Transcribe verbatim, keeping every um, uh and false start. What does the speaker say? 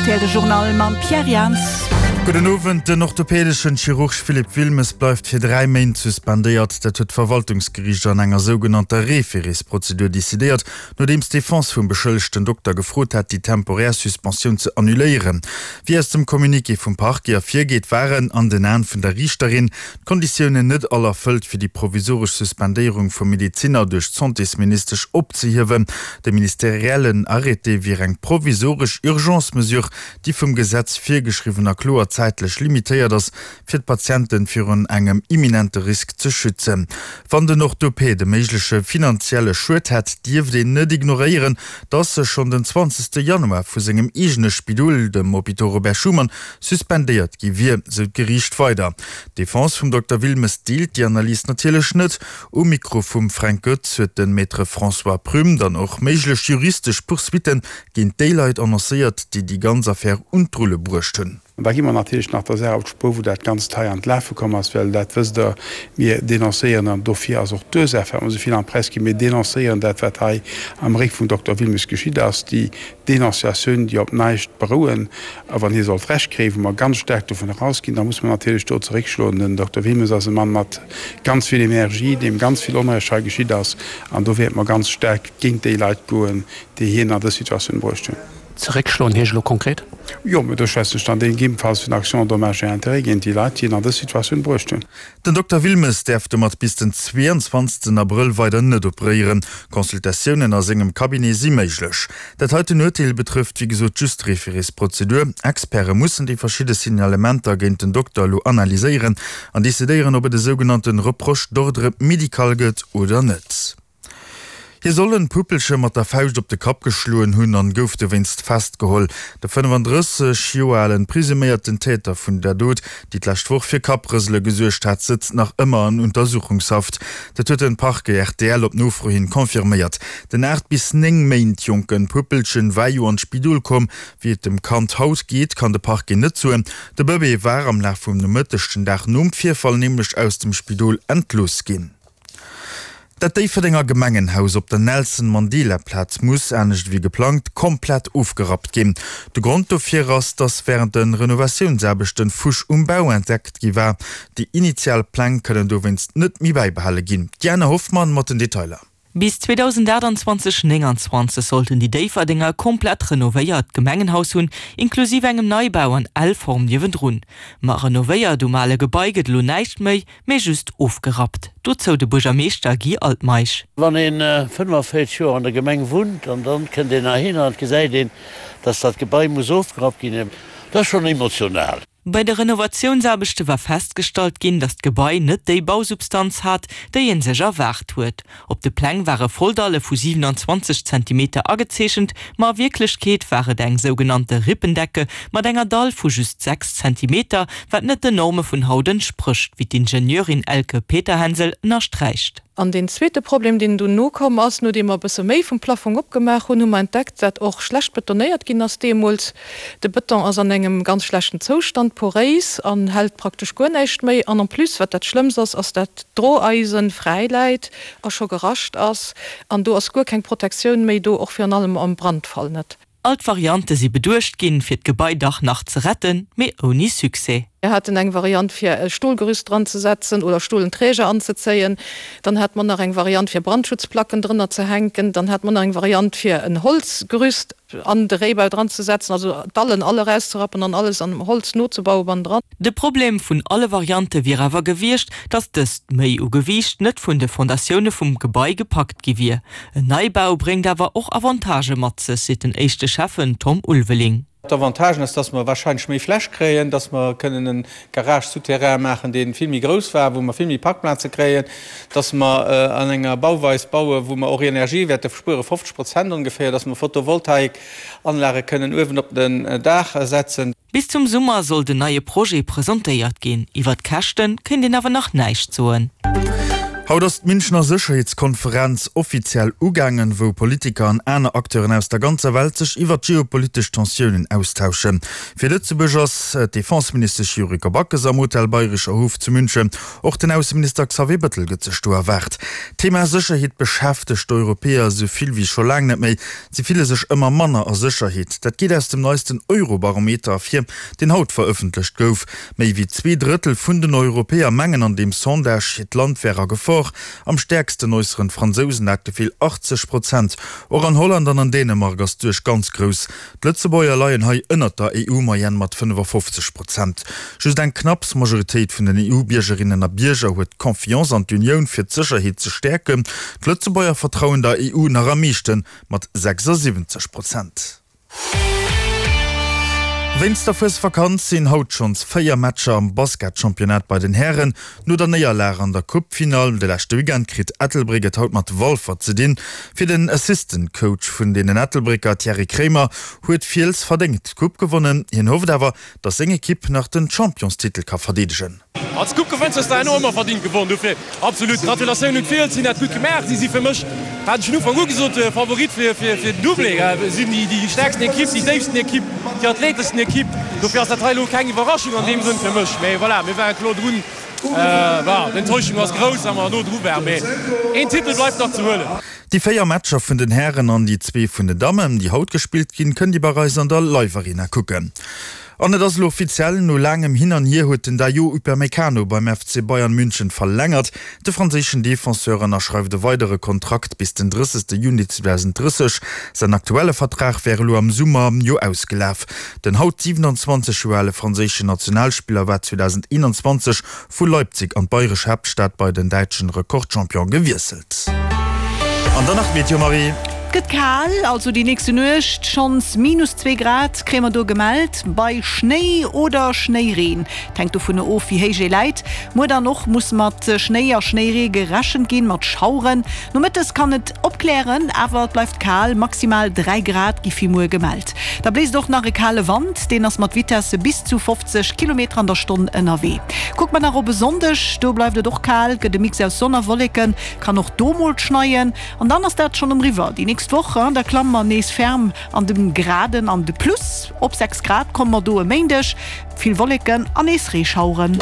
R T L de Journal mam Pierre Jans. Gudden Owend, Den orthopädeschen Chirurg Philippe Wilmes bleift fir dräi Méint suspendéiert. Dat huet d'Verwaltungsgeriicht an enger sougenannter Référésprozedur decidéiert, nodeems d'Defense vum beschëllegten Dokter gefrot hat, déi temporär Suspensioun ze annuléieren. Wéi aus dem Communiqué vum Parquet ervirgeet, waren, an den Aen vun der Riichterin, d'Konditiounen net all erfëllt, fir déi provisoresch Suspendéierung vum Medezinner duerch d'Santésministesch opzehiewen. De ministeriellen Arrêté wier eng provisoresch Urgence-Mesure, déi vum Gesetz virgeschriwwen a kloer zäitlech limitéiert ass, fir d'Patienten virun engem imminente Risk ze schützen. Wann den Orthopäd e méigleche finanzielle Schued hätt, dierft een net ignoréieren, dass e schonn den zwanzegste Januar vu sengem eegene Spidol, dem Hôpital Robert Schuman, suspendéiert gi wier, sou d'Geriicht weider. D'Defense vum Dokter Wilmes deelt déi Analys natierlech net. Um Mikro vum Fränk Goetz huet de Maître François Prüm dann och méiglech juristesch Poursuitten géint déi Leit annoncéiert, déi déi ganz Affär un d'Rulle bruecht hunn. An da gi mer natierlech nach der Saach op d'Spuer, wou dat Ganzt hei an d'Lafe komm ass, well dat wësst Der, mir denoncéieren, an dofir ass och d'Ursaach, firwat mer esou vill an d'Press ginn, mir denoncéieren dat, wat hei am Réck vum Dokter Wilmes geschitt ass, déi Denonciatiounen, déi op näischt berouen. A wann hie sollt Recht kréien, wou mer ganz staark dovun erausginn, da muss mer natierlech do zeréckschloen. Den Dokter Wilmes ass e Mann mat ganz vill Energie, deem ganz vill Onrecht hei geschitt ass, an do wäerte mer ganz staark géint déi Leit goen, déi hien an dës Situatioun bruecht hunn. Zeréckschloen heescht elo konkret? Jo, mä do schwätzen ech dann dee gegebenfalls vun Action en dommages et intérêts géint déi Leit, déi en an dës Situatioun bruecht hunn. Den Dokter Wilmes däerf domat bis den zweeënzwanzegsten Abrëll weider net operéieren. Consultatiounen a sengem Cabinet si méiglech. Dat heiten Urteel betrëfft wéi gesot just d'Référésprozedur. Experte mussen déi verschidde Signalementer géint den Dokter elo analyséieren an decidéieren, ob et e sougenannte Reproche d'ordre médical gëtt oder net. Hie soll en Puppelche mat der Fauscht op de Kapp geschloen hunn an gouf dowéinst festgeholl. De fënnefandrësseg Joer alen presuméierten Täter vun der Dot, déi d'lescht Woch fir Kapprësele gesuergt hat, sëtzt nach ëmmer an Untersuchungshaft. Dat huet den Parquet R T L op Nofro hin confirméiert. Den aacht bis néng Méint jonken Puppelchen war jo an d'Spidol komm. Wéi et dem Kand haut geet, kann de Parquet net soen. De Bëbee war am Laf vum Nomëtteg den Dag nom Virfall nämlech aus dem Spidol entlooss ginn. Dat Déifferdenger Gemengenhaus op der Nelson Mandela Plaz muss, anescht ewéi geplangt, komplett ofgerappt ginn. De Grond dofir ass, dass wärend de Renovatiounsaarbechten Fusch um Bau entdeckt gi war. Déi initial Pläng kënnen dowéinst net méi bäibehale ginn. D'Diana Hoffmann mat den Detailer. Bis zweedausendaachtanzwanzeg nénganzwanzeg sollten déi Déifferdenger e komplett renovéiert Gemengenhaus hunn, inklusiv engem Neibau an L-Form niewendrun. Ma renovéiert um ale Gebai gëtt elo näischt méi, mee just ofgerappt. Dozou de Buergermeeschter Guy Altmeisch. Wann ee fënnefenvéierzeg Joer an der Gemeng wunnt an dann kënnt een heihinner an et gesäit een, dass dat Gebai muss ofgerappt ginn, dat ass schonn emotional. Bei de Renovatiounsaarbechte war festgestallt ginn, datt d'Gebai net déi Bausubstanz hat, déi ee sech erwaart huet. Op de Pläng ware Volldalle vu siewenanzwanzeg Zentimeter agezeechent, ma a Wierklechkeet war et eng sougenannte Rippendecke mat enger Dall vu just sechs Zentimeter, wat net den Norme vun haut entsprécht, wéi d'Ingenieurin Elke Peterhänsel ënnersträicht. An deen zweete Problem, deen dunn nokomm ass, nodeem mer e bësse méi vum Plafong opgemaach hunn, hu mer entdeckt, dat och schlecht betonéiert ginn ass deemools. De Bëton ass an engem ganz schlechten Zoustand, poréis an hält praktesch guer näischt méi. An en plus, wat dat Schlëmmst ass, ass dat d'Droeisen fräi läit a scho gerascht ass. An do ass guer keng Protektioun méi do, och virun allem am Brandfall net. All d'Variante si beduecht ginn, fir d'Gebai dach nach ze retten, mee ouni Succès. Mir haten eng Variant fir e Stolgerüst dran ze setzen oder stolen Träger anzezéien. Dann hate mer nach eng Variant fir Brandschutzplacken drënner ze hänken. Dann hate mer nach eng Variant fir en Holzgerüst an de Réibau dran ze setzen, also d'Dallen all erauszerappen an alles an Holz nozebaue bannendran. De Problem vun alle Variante wier awer gewiescht, datt dëst Méi u Gewiicht net vun de Fondatioune vum Gebai gepackt gi wier. En Neibau bréngt awer och Avantagë mat sech, seet den éischte Schäffen Tom Ulveling. D'Avantagen ass, dass mer wahrscheinlech méi Fläch kréien, dass mer kënnen e Garage souterrain maachen, dee vill méi grouss war, wou mer vill méi Parkplaze kréien, dass mer an enger Bauweis bauen, wou mer och Energie wäerte spueren, fofzeg Prozent ongeféier, dass mer Photovoltaikanlage kënnen uewen op den Daach setzen. Bis zum Summer soll den neie Projet presentéiert ginn. Iwwer d'Käschte kéint een awer nach näischt soen. Haut ass d'Münchener Sécherheetskonferenz offiziell ugaangen, wou Politiker an aner Acteuren aus der ganzer Welt sech iwwer d'geopolitesch Tensiounen austauschen. Fir Lëtzebuerg ass d'Defenseministesch Yuriko Backes am Hotel Bayrischer Hof zu München. Och den Ausseminister Xavier Bëttel gëtt sech do erwaart. D'Thema Sécherheet beschäftegt d'Europäer esou vill wéi scho laang net méi. Si fille sech ëmmer manner a Sécherheet. Dat geet aus dem neisten Eurobarometer ervir, deen haut verëffentlecht gouf. Méi wéi zwee Drëttel vun den Europäer mengen an deem Sondage, hiert Land wär a Gefor. Am stäerksten äusseren d'Fransousen dat Gefill, achtzeg Prozent. Och an Holland an an Dänemark ass d'Suerg ganz grouss. D'Lëtzebuerger leien hei ënnert der E U-Moyenne mat fënnefafofzeg Prozent. Just eng knapps Majoritéit vun den E U-Biergerinnen a Bierger huet Confiance an d'Unioun fir d'Sécherheet ze stäerken. D'Lëtzebuerger vertrauen der E U nach am meeschten, mat sechsasiwwenzeg Prozent. Wéinst der Fuesvakanz sinn haut schonns véier Matcher am Basketchampionnat bei den Hären. No der Néierlag an der Coupefinall de leschte Weekend kritt Ettelbréck et haut mat Walfer ze dinn. Fir den Assistant Coach vun deenen Ettelbrécker Thierry Kraemer huet Fiels verdéngt d'Coupe gewonnen. Hien hofft awer, datt seng Ekipp nach den Championstitel ka verdeedegen. Als Coupe gewënns hues de herno ëmmer verdingt gewonn. Dofir absolut Gratulatioun un d'Fiels, si hunn dat gutt gemaach. Si si fir mech, hat ech vun Ufank u gesot, Favorit fir fir den Doublé. Si sinn déi déi stäerksten Ekipp, déi déifsten Ekipp, déi athleteschsten Ekipp. Dofir ass dat hei elo keng Iwwerraschung an deem Sënn fir mech. Mee voilà, mir ware kloer drun. Bon, d'Enttäuschung ass grouss, well mer no dru waren, mee een Titel bleift nach ze huelen. Déi véier Matcher vun den Hären an déi zwee vun den Dammen, déi haut gespillt ginn, kënnt Dir bei eis an der Live Arena kucken. An et ass elo offiziell, no laangem Hin an Hier huet den Dayot Upamecano beim F C Bayern München verlängert. De franséischen Defenseur ënnerschreift e weidere Kontrakt bis den drëssegste Juni zweedausenddrësseg. Säin aktuelle Vertrag wär elo am Summer jo ausgelaf. Den haut siwenanzwanzeg Joer ale franséischen Nationalspiller war zweedauseneenanzwanzeg vu Leipzig an d'bayresch Haaptstad bei den däitschen Rekordchampion gewiesselt. An dann nach d'Meteo, Marie. Et gëtt kal, also déi nächste Nuecht schonns minus zwee Grad kréie mer do gemellt, bei Schnéi oder Schnéireen. Et hänkt dovun of, wéi héich ee läit. Muer dann och muss mat Schnéi a Schnéiree gerechent ginn, mat Schaueren. Nomëttes kann et opklären, awer et bleift kal, maximal dräi Grad gi fir muer gemellt. Da bléist och nach e kale Wand, deen ass mat Vitesse bis zu fofzeg Kilometer an der Stonn ënnerwee. Kucke mer nach op e Sonndeg, do bleift et och kal, gëtt e Mix aus Sonn a Wolleken, kann och do mol schneien. An dann ass dat schonn eriwwer déi nächst Woch, da klamme mer nees ferm an de Graden an de Plus. Op sechs Grad komme mer do e Méindeg, vill Wolleken an nees Reeschaueren.